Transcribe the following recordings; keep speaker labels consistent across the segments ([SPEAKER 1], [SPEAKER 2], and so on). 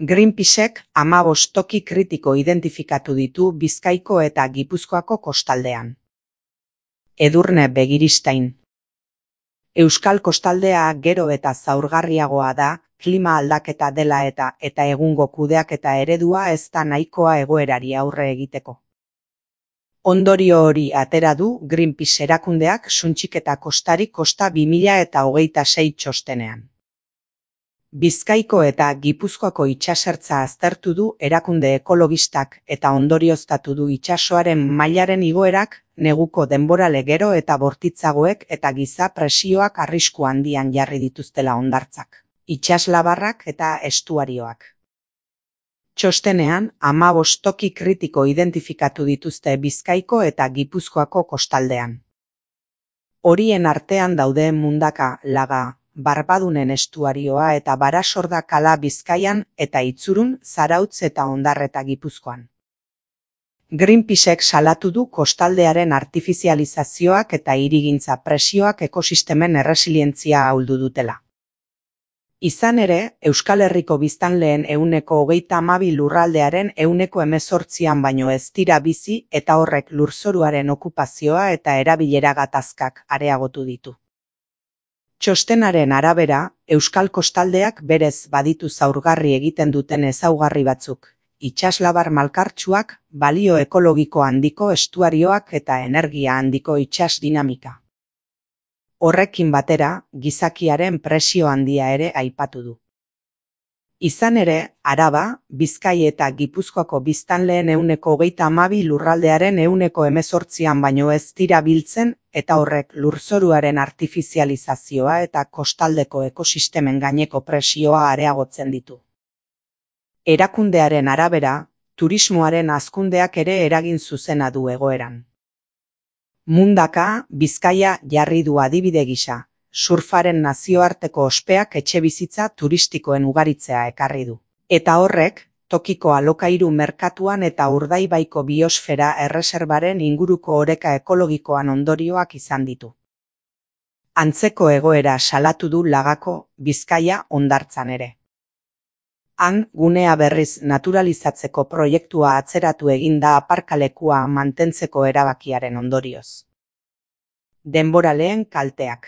[SPEAKER 1] Greenpeacek 15 toki kritiko identifikatu ditu Bizkaiko eta Gipuzkoako kostaldean. Edurne Begiristain. Euskal kostaldea gero eta zaurgarriagoa da, klima aldaketa dela eta egungo kudeaketa eredua ez da nahikoa egoerari aurre egiteko. Ondorio hori atera du Greenpeace erakundeak Suntxiketa kostari kosta 2026 txostenean. Bizkaiko eta Gipuzkoako itsasertza aztertu du erakunde ekologistak eta ondorioztatu du itsasoaren mailaren igoerak, neguko denborale gero eta bortitzagoek eta giza presioak arrisku handian jarri dituztela hondartzak, itsaslabarrak eta estuarioak. Txostenean, 15 toki kritiko identifikatu dituzte Bizkaiko eta Gipuzkoako kostaldean. Horien artean daude Mundaka, Laga, Barbadunen estuarioa eta Barasorda kala Bizkaian eta Itzurun, Zarautz eta Ondarreta Gipuzkoan. Greenpeacek salatu du kostaldearen artifizializazioak eta hirigintza presioak ekosistemen erresilientzia ahuldu dutela. Izan ere, Euskal Herriko biztanleen 22% lurraldearen 18% baino ez dira bizi eta horrek lurzoruaren okupazioa eta erabilera gatazkak areagotu ditu. Txostenaren arabera, Euskal kostaldeak berez baditu zaurgarri egiten duten ezaugarri batzuk, itsaslabar malkartsuak, balio ekologiko handiko estuarioak eta energia handiko itsas dinamika. Horrekin batera, gizakiaren presio handia ere aipatu du. Izan ere, Araba, Bizkai eta Gipuzkoako biztanleen 22% lurraldearen 18% baino ez dira biltzen eta horrek lurzoruaren artifizializazioa eta kostaldeko ekosistemen gaineko presioa areagotzen ditu. Erakundearen arabera, turismoaren hazkundeak ere eragin zuzena du egoeran. Mundaka, Bizkaia jarri du adibide gisa, surfaren nazioarteko ospeak etxebizitza turistikoen ugaritzea ekarri du. Eta horrek, tokiko alokairu merkatuan eta Urdaibaiko biosfera erreserbaren inguruko oreka ekologikoan ondorioak izan ditu. Antzeko egoera salatu du Lagako, Bizkaia hondartzan ere. Han, gunea berriz naturalizatzeko proiektua atzeratu egin da aparkalekua mantentzeko erabakiaren ondorioz. Denboraleen kalteak.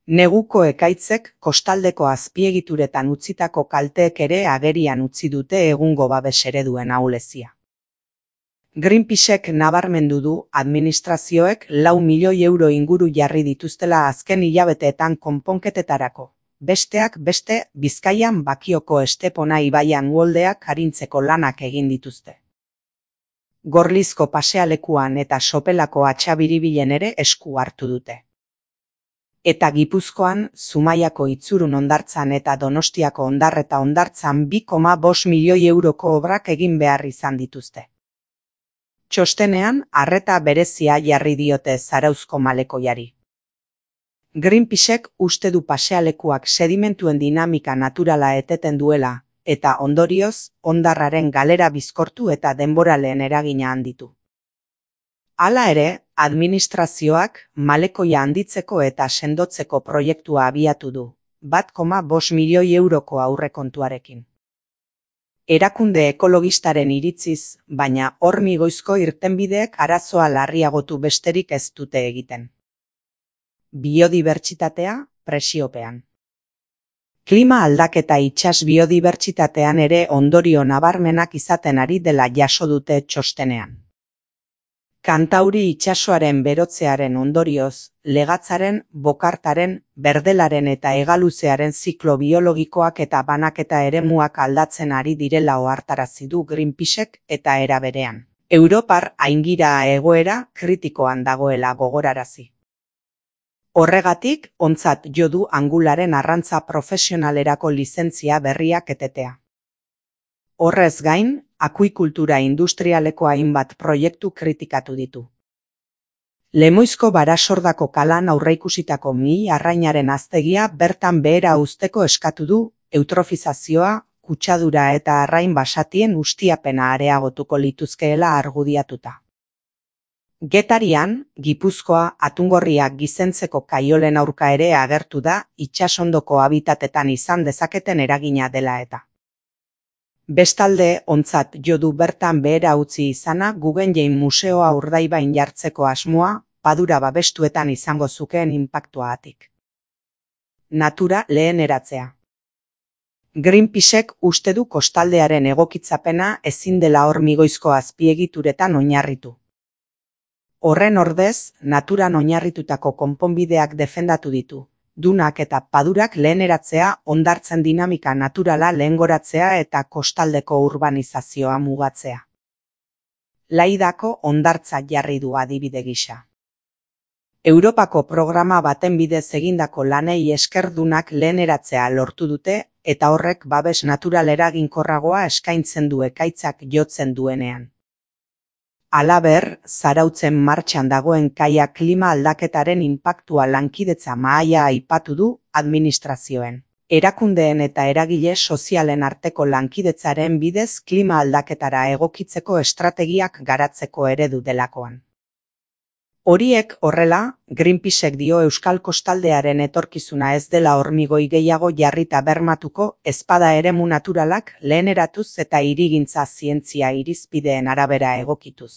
[SPEAKER 1] Neguko ekaitzek kostaldeko azpiegituretan utzitako kalteek ere agerian utzi dute egungo babes ereduen ahulezia. Greenpeacek nabarmendu du administrazioek 4 milioi euro inguru jarri dituztela azken hilabeteetan konponketetarako. Besteak beste, Bizkaian Bakioko Estepona ibaian uholdeak arintzeko lanak egin dituzte. Gorlizko pasealekuan eta Sopelako Atxabiribilen ere esku hartu dute. Eta Gipuzkoan, Zumaiako Itzurun hondartzan eta Donostiako Ondarreta hondartzan 2,5 milioi euroko obrak egin behar izan dituzte. Txostenean, arreta berezia jarri diote Zarauzko malekoiari. Greenpeacek uste du pasealekuak sedimentuen dinamika naturala eteten duela, eta ondorioz, hondarraren galera bizkortu eta denboraleen eragina handitu. Hala ere, administrazioak malekoia handitzeko eta sendotzeko proiektua abiatu du, 1,5 milioi euroko aurrekontuarekin. Erakunde ekologistaren iritziz, baina hormigoizko irtenbideek arazoa larriagotu besterik ez dute egiten. Biodibertsitatea, presiopean. Klima aldaketa itsas biodibertsitatean ere ondorio nabarmenak izaten ari dela jaso dute txostenean. Kantauri itsasoaren berotzearen ondorioz, legatzaren, bokartaren, berdelaren eta hegaluzearen ziklo biologikoak eta banaketa eremuak aldatzen ari direla ohartarazi du Greenpeacek eta era berean. Europar aingira egoera kritikoan dagoela gogorarazi. Horregatik, ontzat jo du angularen arrantza profesionalerako lizentzia berriak etetea. Horrez gain, akuikultura industrialeko hainbat proiektu kritikatu ditu. Lemoizko Barasordako kalan aurreikusitako arrainaren aztegia bertan behera uzteko eskatu du, eutrofizazioa, kutsadura eta arrain basatien ustiapena areagotuko lituzkeela argudiatuta. Getarian, Gipuzkoa, Atungorriak gizentzeko kaiolen aurka ere agertu da itsasondoko habitatetan izan dezaketen eragina dela eta. Bestalde, ontzat jo du bertan behera utzi izana Guggenheim Museoa Urdaibain jartzeko asmoa, padura babestuetan izango zukeen inpaktuagatik. Natura leheneratzea. Greenpeacek uste du kostaldearen egokitzapena ezin dela hormigoizko azpiegituretan oinarritu. Horren ordez, naturan oinarritutako konponbideak defendatu ditu, dunak eta padurak leheneratzea, hondartzen dinamika naturala lehengoratzea eta kostaldeko urbanizazioa mugatzea. Laidako hondartza jarri du adibide gisa. Europako programa baten bidez egindako lanei esker dunak leheneratzea lortu dute eta horrek babes natural eraginkorragoa eskaintzen du ekaitzak jotzen duenean. Halaber, Zarautzen martxan dagoen kaia klima aldaketaren inpaktua lankidetza mahaia aipatu du administrazioen. Erakundeen eta eragile sozialen arteko lankidetzaren bidez klima aldaketara egokitzeko estrategiak garatzeko eredu delakoan. Horiek horrela, Greenpeacek dio Euskal Kostaldearen etorkizuna ez dela hormigoi gehiago jarrita bermatuko ezpada eremu naturalak leheneratuz eta hirigintza zientzia irizpideen arabera egokituz.